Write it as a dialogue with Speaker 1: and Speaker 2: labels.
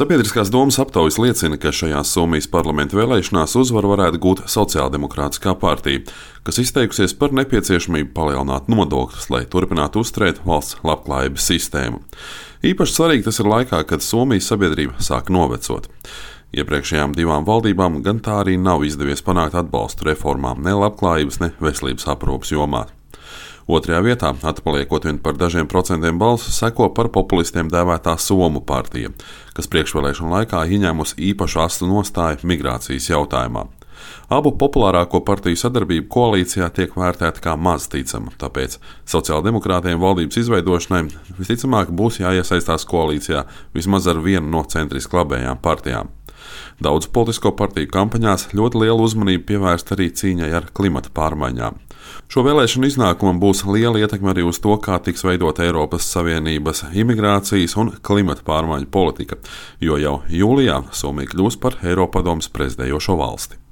Speaker 1: Sabiedriskās domas aptaujas liecina, ka šajās Somijas parlamenta vēlēšanās uzvaru varētu gūt Sociāldemokrātiskā partija, kas izteikusies par nepieciešamību palielināt nodokļus, lai turpinātu uzturēt valsts labklājības sistēmu. Īpaši svarīgi tas ir laikā, kad Somijas sabiedrība sāk novecot. Iepriekšējām divām valdībām gan tā arī nav izdevies panākt atbalstu reformām ne labklājības, ne veselības aprūpes jomā. Otrajā vietā, atpaliekot vien par dažiem procentiem balsu, seko par populistiem dēvētā Somu partija, kas priekšvēlēšanu laikā ieņēmusi īpašu astu nostāju migrācijas jautājumā. Abu populārāko partiju sadarbība koalīcijā tiek vērtēta kā maz ticama, tāpēc sociāldemokrātiem valdības izveidošanai visticamāk būs jāiesaistās koalīcijā vismaz ar vienu no centriski labējām partijām. Daudz politisko partiju kampaņās ļoti lielu uzmanību pievērst arī cīņai ar klimata pārmaiņām. Šo vēlēšanu iznākumam būs liela ietekme arī uz to, kā tiks veidota Eiropas Savienības imigrācijas un klimata pārmaiņu politika, jo jau jūlijā Somija kļūs par Eiropadomes prezidējošo valsti.